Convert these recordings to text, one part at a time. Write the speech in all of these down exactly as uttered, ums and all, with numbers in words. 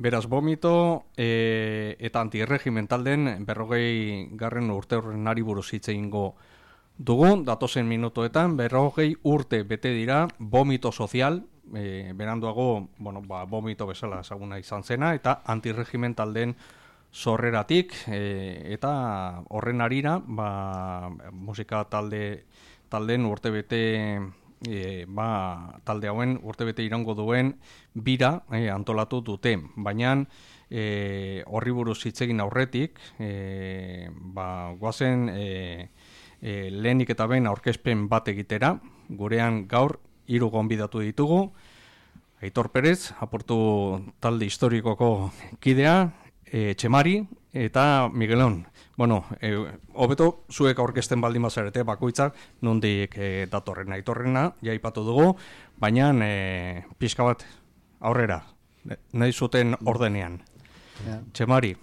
Beraz, Vomito e, eta antirregimen talden berrogei garren urte horrenari buruz hitz egingo dugu, datozen minutoetan, berrogei urte bete dira Vomito Sozial, e, beranduago, bueno, ba, Vomito bezala ezaguna izan zena, eta antirregimen talden sorreratik, e, eta horren arira, ba, musika talde talden urte bete, e, ba, talde hauen urte bete irango duen bira e, antolatu dute, baina e, horri buruz hitz egin aurretik, e, ba, guazen e, E, lehenik eta behin aurkezpen bat egitera, gurean gaur hiru gonbidatu ditugu, Aitor Perez, aportu talde historikoko kidea, e, Txemari eta Miguelon. Bueno, e, hobeto zuek aurkezten baldin bazarete bakoitzak nondik e, datorrena, Aitorrena, jaipatu dugu, baina e, pixka bat aurrera, nahi zuten ordenean. Yeah. Txemari.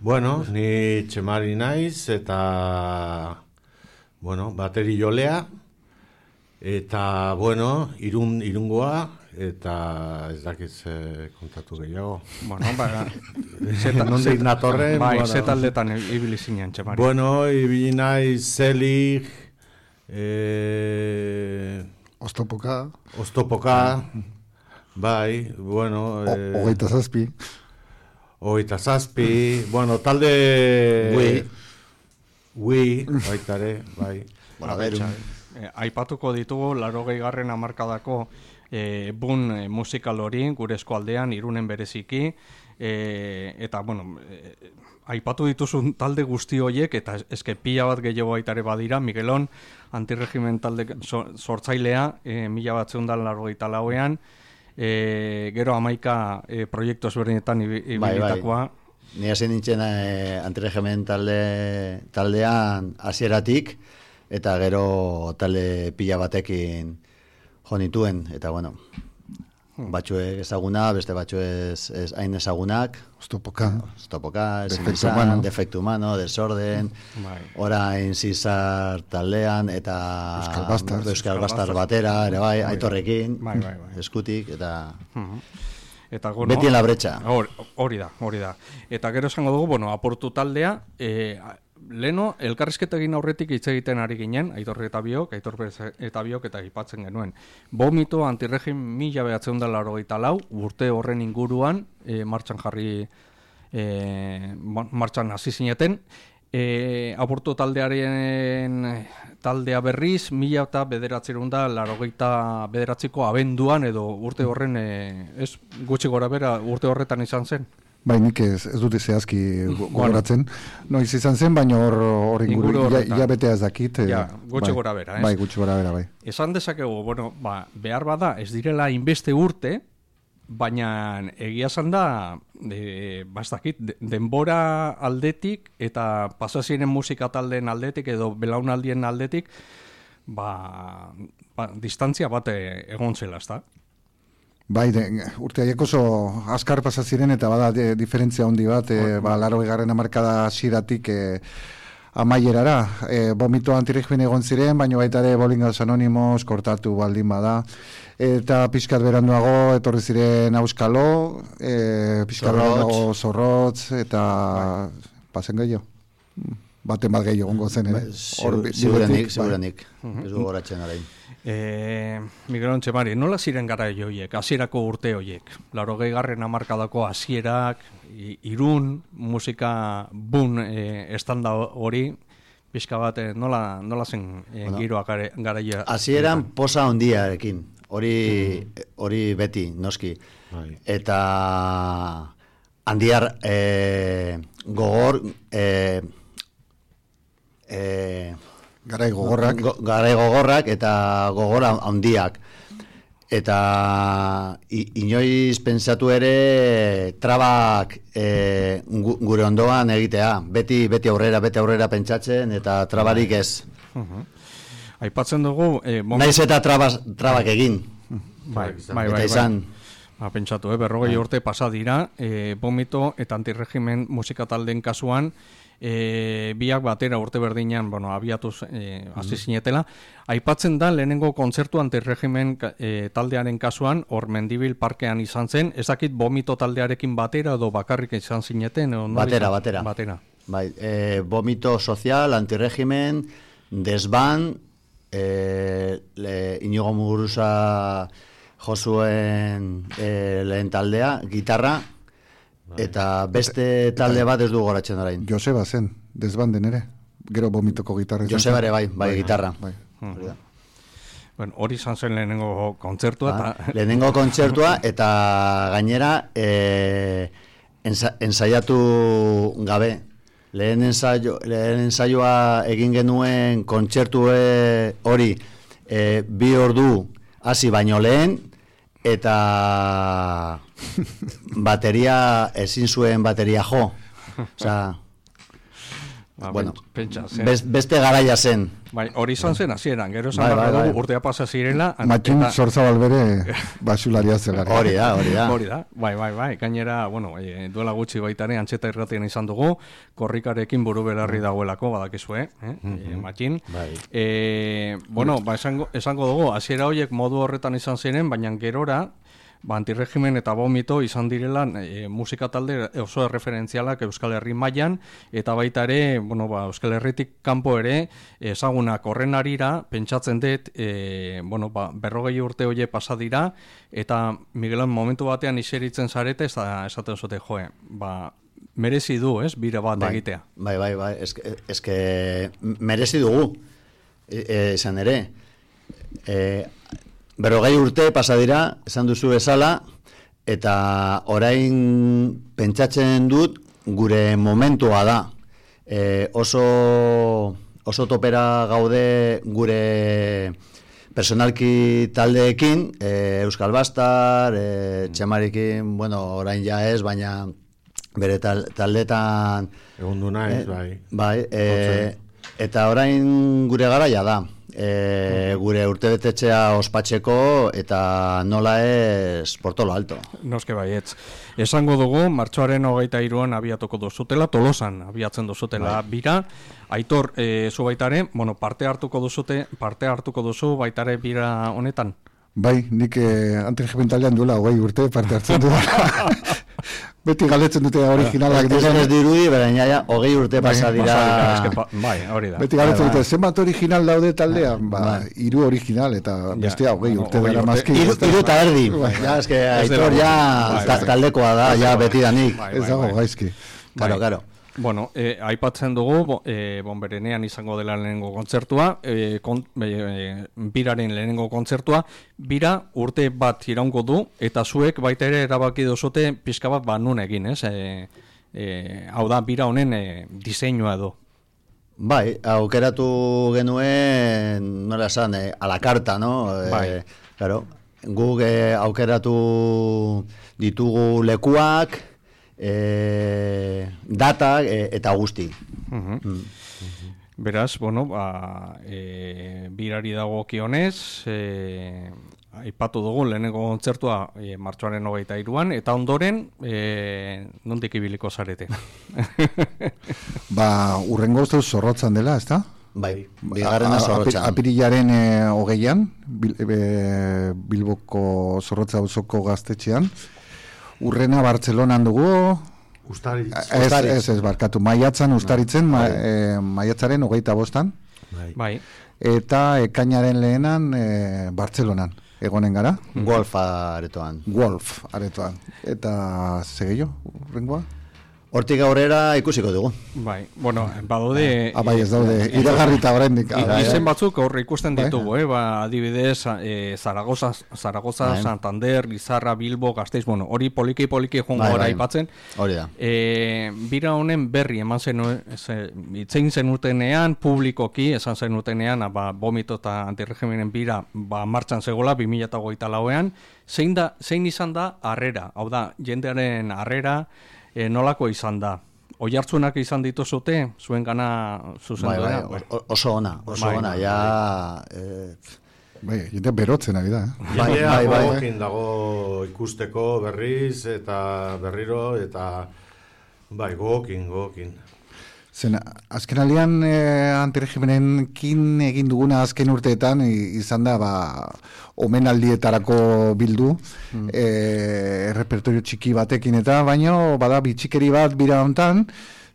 Bueno, ni Txemari naiz eta... Bueno, bateri jolea, eta, bueno, irun, irungoa, eta ez dakiz eh, kontatu gehiago. Bueno, ba, nondik natorren. Bai, bueno. Zetaldetan ibili zinen, Txemari. Bueno, ibili naiz Zelig, eh, Oztopoka. Oztopoka, bai, bueno. Eh, Ogeita zazpi. Ogeita zazpi, bueno, talde... Ui. Ui, baitare, bai. Bueno, eh, aipatuko ditugu laurogei garren hamarkadako eh, bun eh, musikal hori gure eskualdean Irunen bereziki, eh, eta bueno, eh, aipatu dituzun talde guzti horiek eta eske pila bat gehiago baitare badira. Miguelon antirregimen talde sortzailea, eh, mila batzeun da laurogeita lauean, eh, gero hamaika eh, proiektu ezberdinetan ibilitakoa. Bai, bai. Ni hasi nintzen eh, antirregimen talde, taldean hasieratik eta gero talde pila batekin jo nituen, eta bueno, batzuek ezaguna, beste batzuek ez hain ezagunak. Oztopoka. Oztopoka, Defecto, Defecto Humano, Desorden, orain Zizar taldean, eta Euskal Bastar, Euskal Bastar batera, ere bai, Aitorrekin, bai, bai, bai. eskutik, eta... Uh-huh. Eta, bueno, beti en la brecha. Hori da, hori da. Eta gero esango dugu, bueno, aportu taldea, e, leno, elkarrizketa egin aurretik hitz egiten ari ginen, Aitor eta biok, Aitor eta biok eta aipatzen genuen. Vomito antirregim mila behatzen da laurogeita lau, urte horren inguruan, e, martxan jarri, e, martxan hasi zineten, E, aportu taldearen taldea berriz, mila eta bederatzerun da laurogeita bederatziko abenduan edo urte horren, e, ez gutxi gora bera urte horretan izan zen? Bai, nik ez, ez dute zehazki gogoratzen. Noiz izan zen, baina hor, hor inguru, ja betea ez dakit. Ja, gutxi bai, gora bera, ez? Bai, gutxi gora bera, bai. Esan dezakegu, bueno, ba, behar bada, ez direla inbeste urte, baina egia esan da, e, bastakit, denbora aldetik eta pasaziren musika taldeen aldetik edo belaunaldien aldetik, ba, ba distantzia bat egon zela, ezta? Bai, de, urte haiek oso azkar pasaziren eta bada de, diferentzia handi bat, e, ba, laurogei garren hamarkada hasieratik e, amaierara. E, Vomito antirregimen egon ziren, baina baita ere Bolingas Anonimos kortatu baldin bada. Eta pixkat beranduago etorri ziren Auskalo, e, pixkat beranduago Zorrotz, eta bai. Pasen gehiago. Baten bat gehiago ongo zen, ere. Seguranik, seguranik. Ez du goratzen arain. E, Miguelon Txemari, nola ziren gara horiek, hasierako urte horiek? Laurogei garren hamarkadako hasierak, Irun, musika bun e, estanda hori, pixka bat, nola, nola zen e, bueno, giroak garaia? Hasieran posa hondiarekin, hori hori mm. beti, noski. Right. Eta handiar e, gogor... E, e, Garai gogorrak. Go, garai gogorrak eta gogora handiak. Eta i, inoiz pentsatu ere trabak e, gure ondoan egitea. Beti beti aurrera, beti aurrera pentsatzen eta trabarik ez. Uh-huh. Aipatzen dugu... Eh, moment... Naiz eta trabas, trabak egin. Bai, bai, bai. Izan... Ba, pentsatu, eh, berrogei urte pasa dira, eh, Vomito eta antirregimen musika taldeen kasuan, e, biak batera urte berdinean, bueno, abiatuz e, hasi zinetela. Aipatzen da, lehenengo kontzertu antirregimen e, taldearen kasuan, hor Mendibil parkean izan zen, ez dakit Bomito taldearekin batera edo bakarrik izan zineten? O, batera, batera. Batera. Bai, e, Bomito Sozial, antirregimen, desban, e, le, Inigo Muguruza Josuen e, lehen taldea, gitarra, eta beste talde bat ez du goratzen orain. Joseba zen, desbanden ere, gero Bomitoko gitarra. Joseba ere bai, bai, gitarra. Bai. Hmm. Bueno, hori izan zen lehenengo kontzertua. Ba, eta... lehenengo kontzertua, eta gainera e, ensa, ensaiatu gabe. Lehen, ensaio, lehen ensaioa egin genuen kontzertu hori e, bi ordu hasi baino lehen, eta bateria, ezin zuen bateria jo. Osea, ba, bueno, pentsa, best, beste garaia zen. Bai, hori izan zen hasieran, gero esan bai, bai, bai, bai. urtea pasa zirela. Matxin eta... Zorzabal bere basularia zelara. Hori da, hori da. Hori da, bai, bai, bai. Gainera, bueno, e, duela gutxi baitare antxeta irratian izan dugu, korrikarekin buru belarri dagoelako, badakizue, eh? Mm-hmm. e, Matxin. Bai. E, bueno, ba, esango, esango dugu, hasiera horiek modu horretan izan ziren, baina gerora, ba, antirregimen eta Bomito izan direla e, musika talde oso erreferentzialak Euskal Herri mailan, eta baita ere, bueno, ba, Euskal Herritik kanpo ere, ezagunak horren arira, pentsatzen dut, e, bueno, ba, berrogei urte hoie pasa dira, eta Miguelan momentu batean iseritzen zarete, eta esaten zute, joe, ba, merezi du, ez, bira bat bai, egitea. Bai, bai, bai, eske, eske merezi dugu, esan ere, e, berrogei urte pasa dira, esan duzu bezala, eta orain pentsatzen dut gure momentua da. E, oso, oso topera gaude gure personalki taldeekin, e, Euskal Bastar, e, Txemarikin, bueno, orain ja ez, baina bere tal, taldetan... Egun du naiz, e, bai. Bai, e, eta orain gure garaia da. E, gure urtebetetxea ospatzeko eta nola ez portolo alto. Noske baietz. Esango dugu, martxoaren hogeita hiruan abiatuko duzutela, Tolosan abiatzen duzutela bai. Bira. Aitor, e, zu baitare, bueno, parte hartuko duzute, parte hartuko duzu baitare bira honetan? Bai, nik eh, antirregimentalean duela hogei urte parte hartzen du. Beti galetzen dute originalak dira. Ez dirudi, bera ja, hogei urte bai, pasa dira. Pa, bai, hori da. Beti galetzen bai, dute, bai. zenbat original daude taldean? Ba, bai. Hiru original eta bestea hogei no, urte hogei dara urte. mazki. Iru, iru eta erdi. Bai. Ja, eske, Ez Aitor dela, ja bai, ta, bai. taldekoa da, Ez ja dela. betidanik. Bai, Ez dago bai. gaizki. Karo, karo. Bueno, eh, aipatzen dugu, bo, eh, bonberenean izango dela lehenengo kontzertua, eh, kon, eh, biraren lehenengo kontzertua, bira urte bat iraungo du, eta zuek baita ere erabaki duzute pixka bat ba nun egin, ez? Eh, eh, hau da, bira honen eh, diseinua edo. Bai, aukeratu genuen, nola esan, eh, a la carta, no? Bai. Eh, claro, guk eh, aukeratu ditugu lekuak, e, data e, eta guzti. Uh-huh. Mm. Beraz, bueno, ba, e, birari dagokionez, e, aipatu dugu lehenengo kontzertua e, martxoaren hogeita hiruan, eta ondoren e, nondik ibiliko zarete. Ba, urrengo uste zorrotzan dela, ezta? Bai, bigarrena zorrotzan. Apirilaren e, hogeian, bil, e, Bilboko zorrotza auzoko gaztetxean, urrena Bartzelonan dugu. Ustaritz. Ez, ez, ez, barkatu. Maiatzan ustaritzen, ma, e, maiatzaren hogeita bostan. Bai. Bai. Eta ekainaren lehenan e, Bartzelonan. Egonen gara. Wolf aretoan. Wolf aretoan. Eta segeio, urrengoa? Hortik aurrera ikusiko dugu. Bai, bueno, badaude... Ah, bai, ez daude, iragarrita oraindik. Izen batzuk aurre ikusten ditugu, eh? Ba, adibidez, eh, Zaragoza, Zaragoza bai. Santander, Lizarra, Bilbo, Gasteiz, bueno, hori poliki-poliki jongo bai, gara bai. aipatzen. Hori da. E, bira honen berri eman zen, itzein zenutenean, publikoki, esan zenutenean, ba, Bomito eta antirregimenen bira ba, martxan zegoela, bi mila hogeita lauean, zein, da, zein izan da harrera, hau da, jendearen harrera, e, nolako izan da? Oihartzunak izan dituzute, zuen gana zuzen Bai, bai, bai. o- oso ona, oso Bai, ona, bai, ja... Eh, Bai, jende berotzen ari da, eh? Bai, Jendea bai, bai. gogokin dago ikusteko berriz eta berriro eta bai, gogokin, gogokin. Zen, azken alian eh, antiregimenenkin egin duguna azken urteetan i- izan da ba, omenaldietarako bildu mm. eh, repertorio txiki batekin eta baino bada bitxikeri bat bira hontan,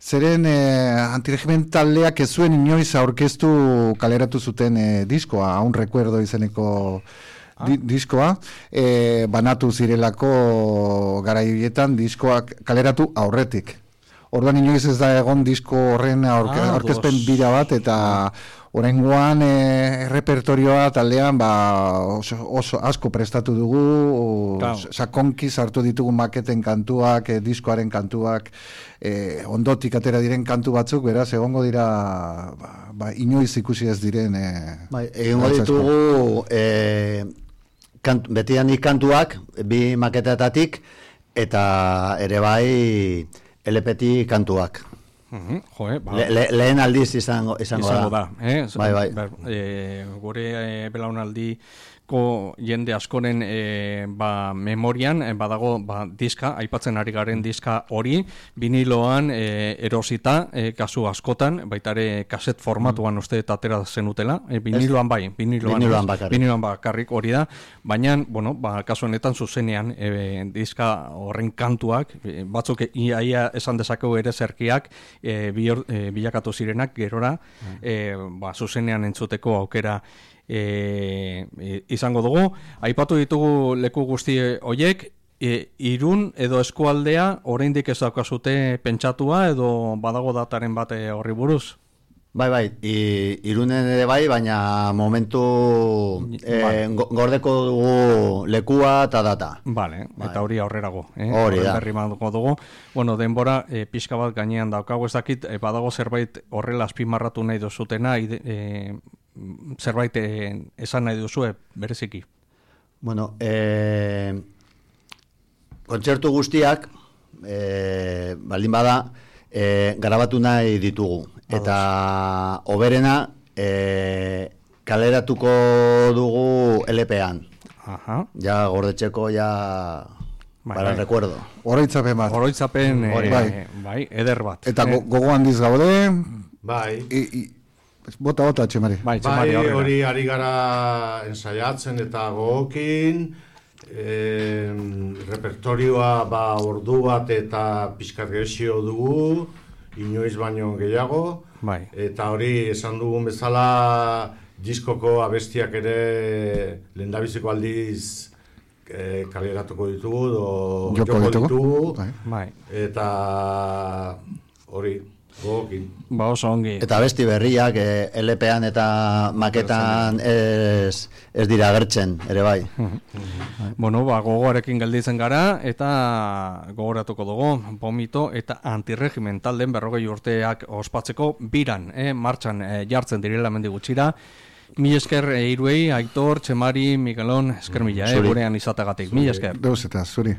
zeren eh, antiregimen taldeak ez zuen inoiz aurkeztu kaleratu zuten eh, diskoa, un recuerdo izeneko Di, diskoa, e, banatu zirelako garaietan diskoak kaleratu aurretik. Orduan inoiz ez da egon disko horren aurke, Ah, aurkezpen dos. bira bat, eta oraingoan e, repertorioa taldean ba, oso, oso asko prestatu dugu, Claro. sakonki sartu ditugu maketen kantuak, e, diskoaren kantuak, e, ondotik atera diren kantu batzuk, beraz, egongo dira ba, ba, inoiz ikusi ez diren e, Bai, egingo gauza asko. ditugu e, kant, betidanik kantuak, bi maketetatik, eta ere bai L P T kantuak. Mhm, jo, eh, ba, Le, le, lehen aldiz izango, izango, izango da. da. Eh? Bai, bai. Ber, eh, gure eh, belaunaldiko jende askoren eh, ba, memorian eh, badago ba, diska, aipatzen ari garen diska hori, viniloan eh, erosita, eh, kasu askotan, baitare kaset formatuan uste eta atera zenutela, eh, viniloan bai, viniloan, Viniloan ez, bakarrik. viniloan bakarrik hori da, baina, bueno, ba, kasu honetan zuzenean eh, diska horren kantuak, eh, batzuk ia, ia esan dezakegu ere zerkiak, e, bior, e, bilakatu zirenak gerora e, ba, zuzenean entzuteko aukera e, e, izango dugu. Aipatu ditugu leku guzti hoiek, e, Irun edo eskualdea oraindik ez daukazute pentsatua edo badago dataren bate horri buruz? Bai, bai, I, Irunen ere bai, baina momentu Vale. e, go- gordeko dugu lekua eta data. Vale, Bai. eta hori aurrerago. Eh? Hori Horren da. berri manduko dugu. Bueno, denbora e, pixka bat gainean daukagu ez dakit, e, badago zerbait horrela azpimarratu nahi duzutena, ide, e, zerbait e, esan nahi duzue, bereziki. Bueno, e, kontzertu guztiak, e, baldin bada, e, grabatu nahi ditugu. Eta oberena e, kaleratuko dugu L P-an. Aha. Ja gordetxeko, ja Bai, para el bai. recuerdo. Oroitzapen bat. Oroitzapen e, Hori, bai. bai. eder bat. Eta eh? go, gogo handiz gaude, Bai, i, i, bota, bota, Txemari. Bai, bai, Txemari, aurrera. hori ari gara ensaiatzen eta gogokin, eh, repertorioa ba ordu bat eta pixkat gezio dugu, inoiz baino gehiago, Bai. eta hori esan dugun bezala diskoko abestiak ere lehendabiziko aldiz eh, kaleratuko ditugu, do, Joko ditugu. Bai. Bai. eta hori, gogokin. Ba oso ongi. Eta besti berriak e, L P-an eta maketan ez, ez dira agertzen, ere bai. Bueno, ba, gogoarekin gelditzen gara, eta gogoratuko dugu, Vomito eta Antiregimen talden berrogei urteak ospatzeko biran, eh, martxan eh, jartzen direla mendi gutxira. Mil esker eh, hiruei, Aitor, Txemari, Miguelon, esker mila, eh, Zuri. gurean izategatik. Mil esker. Deus eta, zuri.